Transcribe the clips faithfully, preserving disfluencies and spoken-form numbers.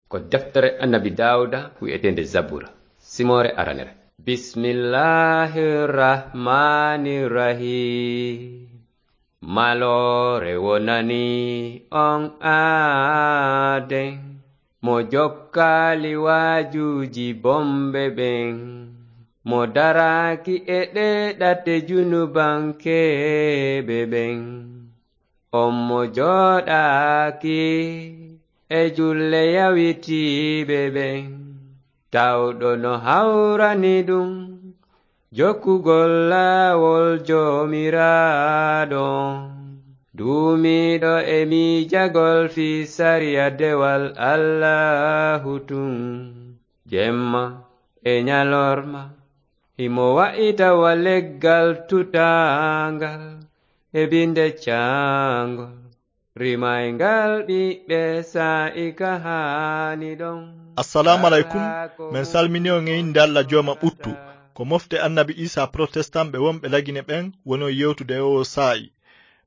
Ko deftere Annabi Daawuda wi'eteende Zabura, simoore aranere. Bismillahir Rahmanir Rahim. Maloore wonani on aaden, mo jokkaali waajuuji bonɓe ɓen, mo daraaki e ɗee ɗate junubankeeɓe ɓen. On mo jooɗaaki e julle yawitiiɓe ɓen, tawɗo no hawrani ɗum jokkugol laawol Joomiraaɗo on, duumiiɗo e miijagol fii sariya dewal Allaahu tun, jemma e ɲalorma, himo wa'ita wa leggal tutaangal e binde caangol, rimayngal ɓiɓɓe saa'i ka haani ɗon. Assalaamu aleykum. Men salmini on e innde Alla Jooma ɓuttu. Ko mofte Annabi Iisaa Protestant ɓe wonɓe Lagine ɓen woni on yewtude e oo saa'i.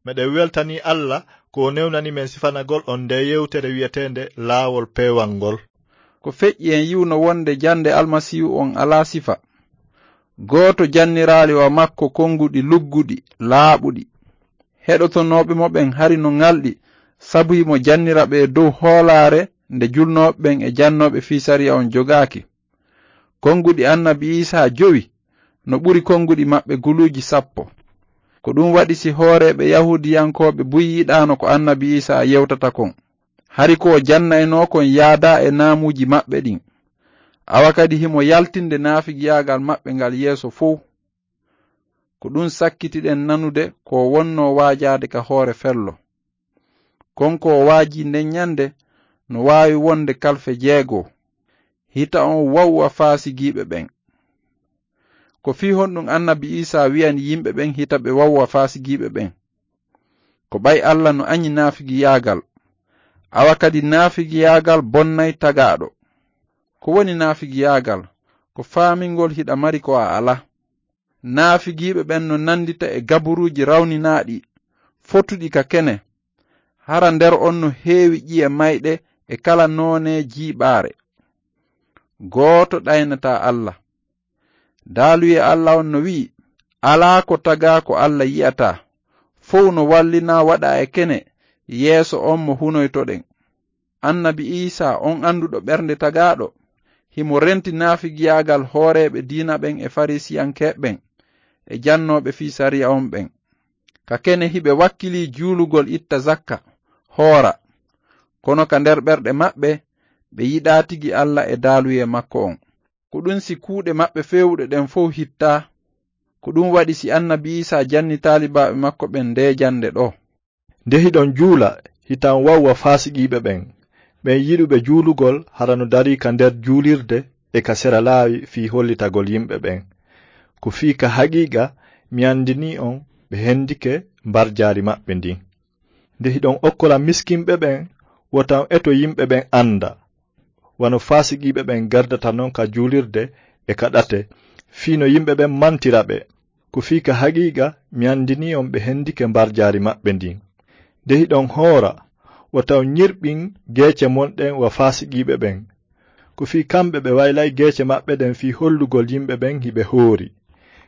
Meɗen weltanii Alla ko o newnani men sifanagol on ndee yewtere wi'eteende Laawol Peewal ngol. Ko feƴƴi en yi'uno wonde jannde Almasiihu on alaa sifa. Gooto janniraali wa makko konnguɗi lugguɗi, laaɓuɗi. Heɗotonooɓe mo ɓen hari no ŋalɗi, sabu himo jannira ɓe dow hoolaare nde julnooɓe ɓen e jannooɓe fii sariya on jogaaki. Konnguɗi Annabi Iisaa jowi no ɓuri konnguɗi maɓɓe guluuji sappo. Ko ɗum waɗi si hooreeɓe Yahuudiyankooɓe buy yiɗaano ko Annabi Iisaa yewtata kon. Hari ko o jannaynoo kon yaadaa e naamuuji maɓɓe ɗin. Awa kadi himo yaltinde naafigiyaagal maɓɓe ngal yeeso fow. Ko ɗum sakkitiɗen nanude ko o wonnoo waajaade ka hoore fello. Kon ko o waajii nden ɲande no waawi wonde kalfe jeego. Hita on wawwa faasigiiɓe ɓen. Ko fii honɗum Annabi Iisaa wi'ani yimɓe ɓen hita ɓe wawwa faasigiiɓe ɓen? Ko ɓay Alla no aɲi naafigiyaagal. Awa kadi naafigiyaagal bonnay tagaaɗo. Ko woni naafigiyaagal? Ko faamingol hiɗa mari ko a alaa. Naafigiiɓe ɓen no nanndita e gaburuuji rawninaaɗi, fotuɗi ka kene. Hara nder on no heewi ƴiye mayɗe e kala noone jiiɓaare. Gooto ɗaynataa Alla. Daaluyee Alla on no wi'i, alaa ko tagaa ko Alla yi'ataa. Fow no wallinaa waɗaa e kene yeeso on mo hunoytoɗen. Annabi Iisaa, on annduɗo ɓernde tagaaɗo, himo renti naafigiyaagal hooreeɓe diina ɓen e Fariisiyankeeɓe ɓen e jannooɓe fii sariya on ɓen. Ka kene hiɓe wakkilii juulugol, itta zakka, hoora. Kono ka nder ɓerɗe maɓɓe, ɓe yiɗaa tigi Alla e daaluyee makko on. Ko ɗun si kuuɗe maɓɓe feewuɗe ɗen fow hittaa. Ko ɗun waɗi si Annabi Iisaa janni taalibaaɓe makko ɓen ndee jannde ɗoo. Nde hiɗon juula, hitan wawwa faasiqiiɓe ɓen, ɓen yiɗuɓe juulugol hara no darii ka nder juulirde e ka sera laawi fii hollitagol yimɓe ɓen. Ko fii ka haqiiqa mi anndinii on ɓe hendike mbarjaari maɓɓe ndin. Nde hiɗon okkola miskinɓe ɓen, wota on eto yimɓe ɓen annda, wano faasiqiiɓe ɓen gardata non ka juulirde e ka ɗate, fii no yimɓe ɓen mantira ɓe. Ko fii ka haqiiqa mi anndinii on ɓe hendike mbarjaari maɓɓe ndin. Nde hiɗon hoora, wota on ɲirɓin geece mon ɗen wa faasiqiiɓe ɓen. Ko fii kamɓe ɓe waylay geece maɓɓe ɗen fii hollugol yimɓe ɓen hiɓe hoori.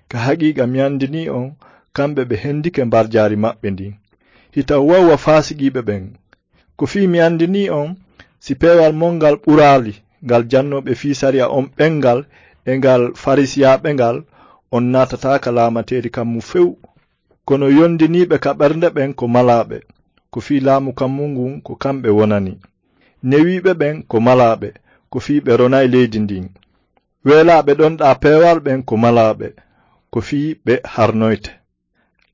Ka haqiiqa mi anndinii on, kamɓe ɓe hendike mbarjaari maɓɓe ndin. Hita wawwa faasiqiiɓe ɓen. Ko fii mi anndinii on, si peewal mon ngal ɓuraali ngal jannooɓe fii sariya on ɓen ngal e ngal Fariisiyaaɓe ngal, on naatataaka laamateeri kammu few. Kono yondiniiɓe ka ɓernde ɓen ko malaaɓe, ko fii laamu kammu ngun ko kamɓe wonani. Newiiɓe ɓen ko malaaɓe, ko fii ɓe ronay leydi ndin. Weelaaɓe ɗonɗaa peewal ɓen ko malaaɓe, ko fii ɓe harnoyte.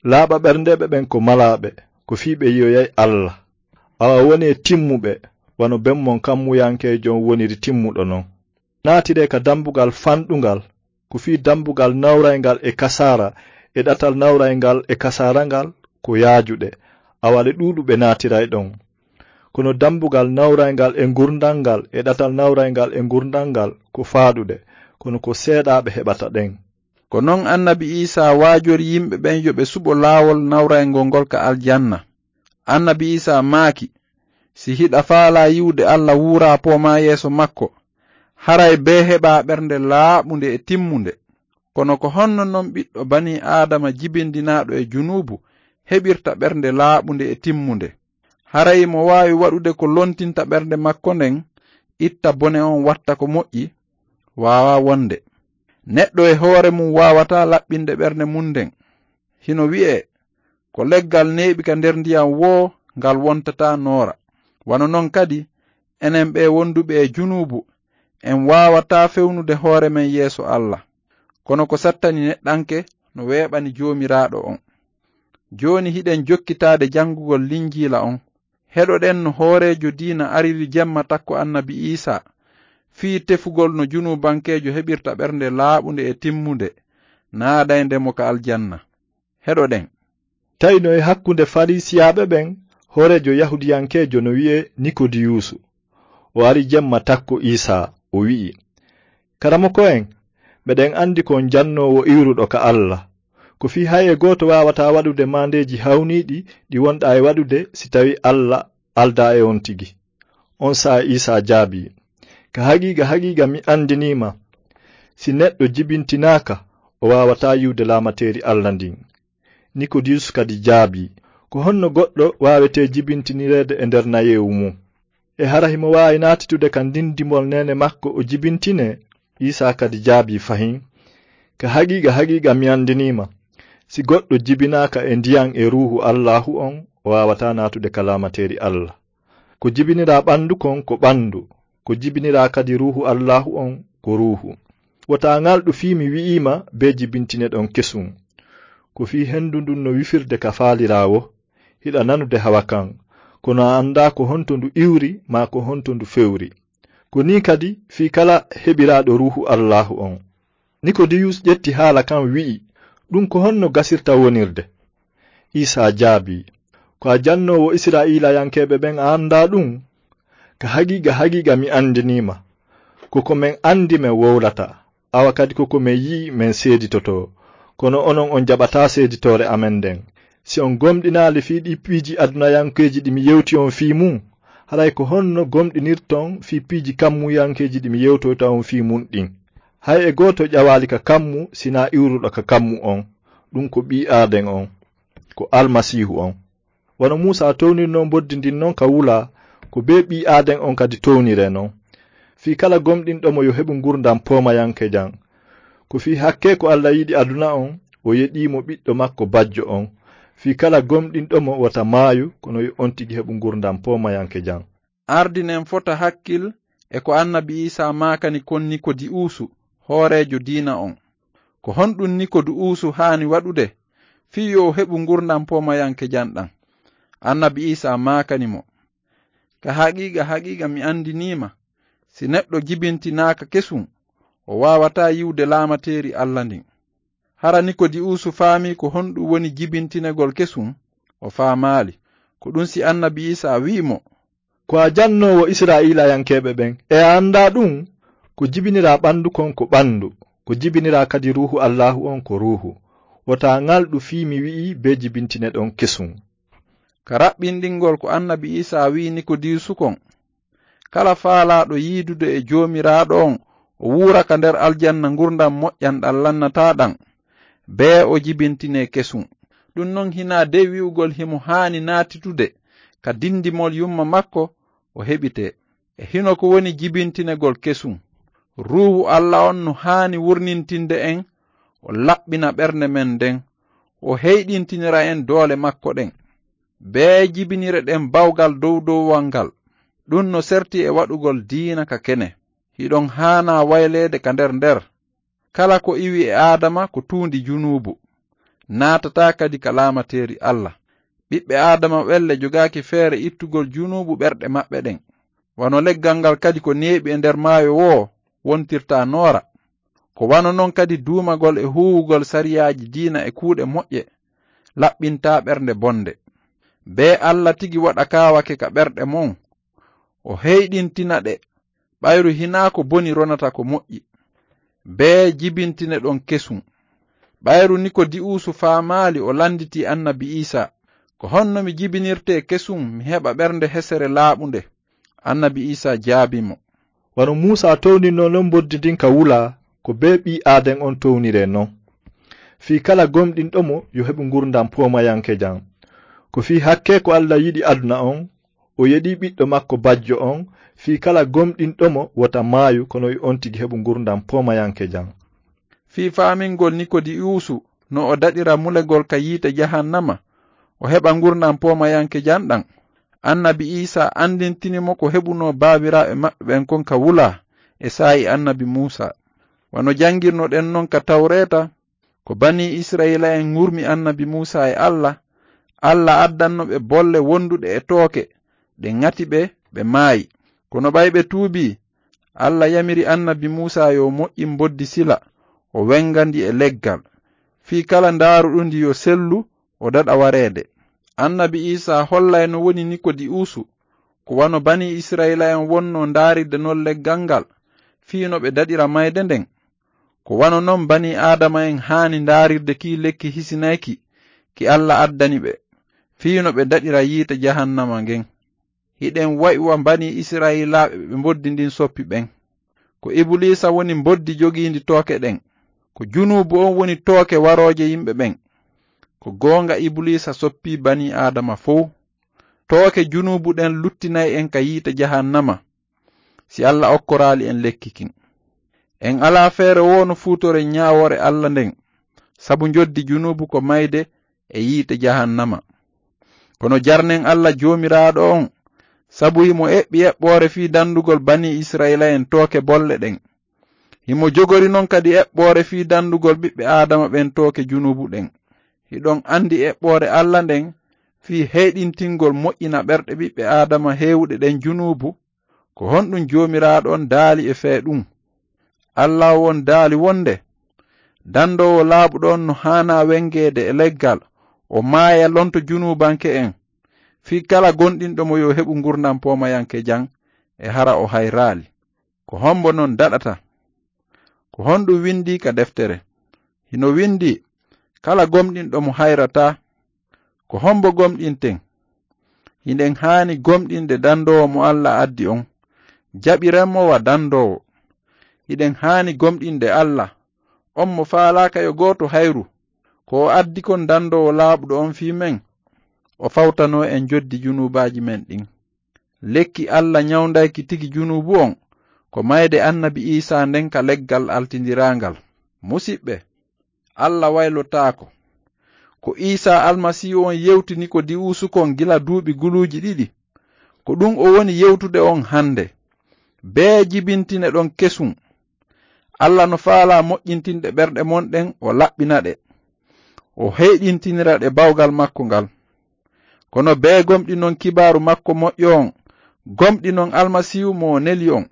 Laaɓa ɓerndeeɓe ɓen ko malaaɓe, ko fii ɓe yi'oyay Alla. Awa wonee timmuɓe, wano ben mon kammuyankeejo on woniri timmuɗo non. Naatiree ka dambugal fanɗungal, ko fii dambugal nawrayngal e kasaara, e ɗatal nawrayngal e kasaara ngal ko yaajuɗe, awa ɗe ɗuuɗuɓe naatiray ɗon. Kono dambugal nawrayngal e ngurndan ngal e ɗatal nawrayngal e ngurndan ngal ko faaɗuɗe, kono ko seeɗaaɓe heɓata ɗen. Ko non Annabi Iisaa waajori yimɓe ɓen yo ɓe suɓo laawol nawrayngol ngol ka aljanna. Annabi Iisaa maaki, Si hiɗa faalaa yi'ude Alla wuuraa poomaa yeeso makko, haray bee heɓaa ɓernde laaɓunde e timmunde. Kono ko honno non ɓiɗɗo banii Aadama jibindinaaɗo e junuubu heɓirta ɓernde laaɓunde e timmunde? Haray mo waawi waɗude ko lontinta ɓernde makko nden, itta bone on watta ko moƴƴi? Waawaa wonde. Neɗɗo e hoore mum waawataa laɓɓinde ɓernde mum nden. Hino wi'ee, ko leggal neeɓi ka nder ndiyam woo ngal wontataa noora. Wano non kadi, enen ɓee wonduɓe e junuubu, en waawataa fewnude hoore men yeeso Alla. Kono ko sattani neɗɗanke no weeɓani Joomiraaɗo on. Jooni hiɗen jokkitaade janngugol Linjiila on. Heɗoɗen no hooreejo diina ariri jemma takko Annabi Iisaa, fii tefugol no junuubankeejo heɓirta ɓernde laaɓunde e timmunde, naadaynde mo ka aljanna. Heɗoɗen. Tawi no e hakkunde Fariisiyaaɓe ɓen, hooreejo Yahuudiyankeejo no wi'ee Nikodiyuusu. O ari jemma takko Iisaa, o wi'i, "Karamoko en, meɗen anndi ko on jannoowo iwruɗo ka Alla. Ko fii hay e gooto waawataa waɗude maandeeji hawniiɗi ɗi wonɗaa e waɗude si tawii Alla aldaa e on tigi." On saa'i Iisaa jaabii, "Ka haqiiqa, haqiiqa, mi anndinii ma, si neɗɗo jibintinaaka, o waawataa yi'ude laamateeri Alla ndin." Nikodiyus kadi jaabii, "Ko honno goɗɗo waawetee jibintinireede e nder nayeewu mum? E hara himo waawi naatitude ka ndinndimol neene makko o jibintinee?" Iisaa kadi jaabii fahin, "Ka haqiiqa, haqiiqa, mi anndinii ma, si goɗɗo jibinaaka e ndiyan e Ruuhu Allaahu on, o waawataa naatude ka laamateeri Alla. Ko jibiniraa ɓanndu kon ko ɓanndu, ko jibiniraa kadi Ruuhu Allaahu on ko ruuhu. Wota ŋalɗu fii mi wi'ii ma bee jibintineɗon kesun. Ko fii hendu ndun no wifirde ka faaliraa woo, hiɗa nanude hawa kan, kono a anndaa ko honto ndu iwri maa ko honto ndu fewri. Ko nii kadi fii kala heɓiraaɗo Ruuhu Allaahu on." Nikodiyus ƴetti haala kan, wi'i, "Ɗun ko honno gasirta wonirde?" Iisaa jaabii, "Ko a jannoowo Isra'iilayankeeɓe ɓen, a anndaa ɗun? Ka haqiiqa, haqiiqa, mi anndinii ma. Ko ko men anndi men wowlata, awa kadi ko ko men yi'i men seeditotoo. Kono onon on jaɓataa seeditoore amen nden. Si on gomɗinaali fii ɗii piiji adunayankeeji ɗi mi yewti on fii mun, haray ko honno gomɗinirton fii piiji kammuyankeeji ɗi mi yewtoyta on fii mun ɗin? Hay e gooto ƴawaali ka kammu sinaa iwruɗo ka kammu on, ɗun ko ɓii aaden on, ko Almasiihu on. Wano Muusaa townirnoo mboddi ndin non ka wulaa, ko bee ɓii aaden on kadi towniree non. Fii kala gomɗinɗo mo yo heɓu ngurndan poomayankejan. Ko fii hakkee ko Alla yiɗi aduna on, o yeɗii mo ɓiɗɗo makko bajjo on. Fii kala gomɗinɗo mo wota maayu, kono yo on tigi heɓu ngurndan poomayankejan." Ardinen fota hakkil e ko Annabi Iisaa maakani kon Nikodi'uusu, hooreejo diina on. Ko honɗun Nikodi'uusu haani waɗude fii yo o heɓu ngurndan poomayankejan ɗan? Annabi Iisaa maakani mo, "Ka haqiiqa, haqiiqa, mi anndinii ma, si neɗɗo jibintinaaka kesun, o waawataa yi'ude laamateeri Alla ndin." Hara Nikodi'uusu faamii ko honɗun woni jibintinegol kesun? O faamaali. Ko ɗun si Annabi Iisaa wi'i mo, "Ko a jannoowo Isra'iilayankeeɓe ɓen, e a anndaa ɗun? Ko jibiniraa ɓanndu kon ko ɓanndu, ko jibiniraa kadi Ruuhu Allaahu on ko ruuhu. Wota ŋalɗu fii mi wi'ii bee jibintineɗon kesun." Ka raɓɓinɗingol ko Annabi Iisaa wi'i Nikodiisu kon, kala faalaaɗo yiidude e Joomiraaɗo on, o wuura ka nder aljanna ngurndan moƴƴan ɗan lannataa ɗan, bee o jibintinee kesun. Ɗun non hinaa dey wi'ugol himo haani naatitude ka dindimol yumma makko, o heɓitee. E hino ko woni jibintinegol kesun. Ruuhu Alla on no haani wurnintinde en, o laɓɓina ɓernde men nden, o heyɗintinira en doole makko ɗen. Bee jibinire ɗen bawgal dow dowowal ngal. Ɗun no serti e waɗugol diina ka kene. Hiɗon haanaa wayleede ka nder nder. Kala ko iwi e Aadama ko tuundi junuubu. Naatataa kadi ka laamateeri Alla. Ɓiɓɓe Aadama ɓen le jogaaki feere ittugol junuubu ɓerɗe maɓɓe ɗen. Wano leggal ngal kadi ko neeɓi e nder maayo woo wontirta noora, ko wano non kadi duumagol e huuwugol sariyaaji diina e kuuɗe moƴƴe laɓɓintaa ɓernde bonde. Bee Alla tigi waɗa kaawake ka ɓerɗe mon, o heyɗintina ɗe, ɓayru hinaa ko boni ronata ko moƴƴi. Bee jibintineɗon kesun. Ɓayru Nikodi'uusu faamaali, o landitii Annabi Iisaa, "Ko honno mi jibinirtee kesum, mi heɓa ɓernde hesere laaɓunde?" Annabi Iisaa jaabii mo, "Wano Muusaa towninnoo non mboddi ndin ka wulaa, ko bee Ɓii-Aaden on towniree non. Fii kala gomɗinɗo mo, yo heɓu ngurndan poomayankejan. Ko fii hakkee ko Alla yiɗi aduna on, o yeɗii Ɓiɗɗo makko bajjo on, fii kala gomɗinɗo mo, wota maayu, kono yo on tigi heɓu ngurndan poomayankejan." Fii faamingol Nikodiwusu no o daɗira mulegol ka yiite jahannama, o heɓa ngurndan poomayankejan ɗan, Annabi Iisaa anndintini mo ko heɓunoo baabiraaɓe maɓɓe ɓen kon ka wulaa e saa'i Annabi Muusaa. Wano janngirnoɗen non ka Tawreeta, ko Banii Isra'iila'en ŋurmi Annabi Muusaa e Alla, Alla addanno ɓe bolle wonduɗe e tooke, ɗe ŋati ɓe, ɓe maayi. Kono ɓay ɓe tuubii, Alla yamiri Annabi Muusaa yo moƴƴin mboddi sila, o wennga ndi e leggal, fii kala ndaaruɗo ndi yo sellu, o daɗa wareede. Annabi Iisaa hollay no woni Nikodiwusu, ko wano Banii Isra'iila'en wonnoo ndaarirde non leggal ngal, fii no ɓe daɗira mayde nden. Ko wano non Banii Aadama'en haani ndaarirde kii lekki hisinayki ki Alla addani ɓe, fii no ɓe daɗira yiite jahannama ngen. Hiɗen wa'i wa Banii Isra'iilaaɓe ɓe mboddi ndin soppi ɓen. Ko Ibuliisa woni mboddi jogiindi tooke ɗen. Ko junuubu on woni tooke warooje yimɓe ɓen. Ko goonga Ibuliisa soppii Banii Aadama fow. Tooke junuubu ɗen luttinay en ka yiite jahannama, si Alla okkoraali en lekki kin. En alaa feere woo no fuutoren ñaawoore Alla nden, sabu njoddi junuubu ko mayde e yiite jahannama. Kono jarnen Alla Joomiraaɗo on, sabu himo eɓɓi eɓɓoore fii dandugol Banii Isra'iila'en tooke bolle ɗen. Himo jogori non kadi eɓɓoore fii dandugol ɓiɓɓe Aadama ɓen tooke junuubu ɗen. Hiɗon andi eɓɓoore Alla nden fii heyɗintingol moƴƴina ɓerɗe ɓiɓɓe Aadama heewuɗe ɗen junuubu? Ko honɗun Joomiraaɗo on daali e fee ɗun? Alla on daali wonde, dandoowo laaɓuɗo on no haanaa wengeede e leggal, o maaya lonto junuubanke'en, fii kala gomɗinɗo mo yo heɓu ngurndan poomayankejan, e hara o hayraali. Ko hombo non daɗata? Ko honɗun windii ka deftere? Hino windii, "Kala gomɗinɗo mo hayrataa." Ko hombo gomɗinten? Hiɗen haani gomɗinde dandoowo mo Alla addi on. Jaɓiren mo wa dandoowo. Hiɗen haani gomɗinde Alla, on mo faalaaka yo gooto hayru. Ko o addi kon dandoowo laaɓuɗo on fii men, o fawtanoo en joddi junuubaaji men ɗin. Lekki Alla ñawndayki tigi junuubu on, ko mayde Annabi Iisaa nden ka leggal altindiraangal. Musiɓɓe, Alla waylotaako. Ko Iisaa Almasiihu on yewti Nikodiwusu kon gila duuɓi guluuji ɗiɗi, ko ɗun o woni yewtude on hande. Bee jibintineɗon kesum. Alla no faalaa moƴƴintinde ɓerɗe mon ɗen, o laɓɓina ɗe, o heyɗintinira ɗe bawgal makko ngal. Kono bee gomɗinon kibaaru makko moƴƴo on, gomɗinon Almasiihu mo o neli on.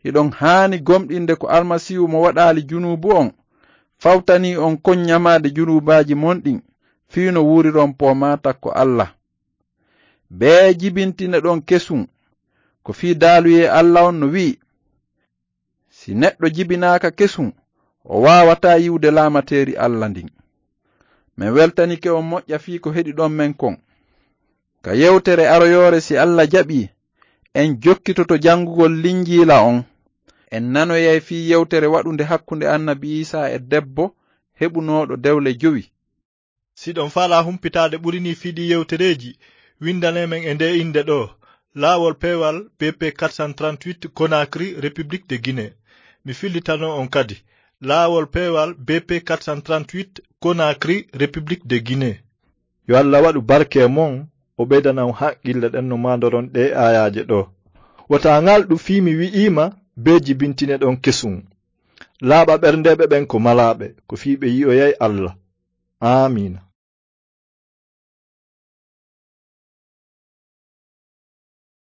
Hiɗon haani gomɗinde ko Almasiihu mo waɗaali junuubu on fawtanii on kon ñamaade junuubaaji mon ɗin, fii no wuuriron poomaa takko Alla. Bee jibintineɗon kesum, ko fii daaluyee Alla on no wi'i, "Si neɗɗo jibinaaka kesum, o waawataa yi'ude laamateeri Alla ndin." Men weltanike on moƴƴa fii ko heɗiɗon men kon. Ka yewtere aroyoore, si Alla jaɓii, en jokkitoto janngugol Linjiila on. En nanoyay fii yewtere waɗunde hakkunde Annabi Iisaa e debbo heɓunooɗo dewle jowi. Si ɗon faalaa humpitaade ɓuri nii fii ɗii yewtereeji, winndanee men e ndee innde ɗoo, Laawol Peewal B P quatre cent trente-huit, Conakry, République de Guinée. Mi fillitano on kadi, Laawol Peewal B P quatre cent trente-huit, Conakry, République de Guinée. Yo Alla waɗu barke e mon, o ɓeydana on haqqille ɗen no maandoron ɗee aayaaje ɗoo. Wota ŋalɗu fii mi wi'iima, bee jibintineɗon kesum. Laaɓa ɓerndeeɓe ɓen ko malaaɓe, ko fii ɓe yi'oyay Alla. Aamiina.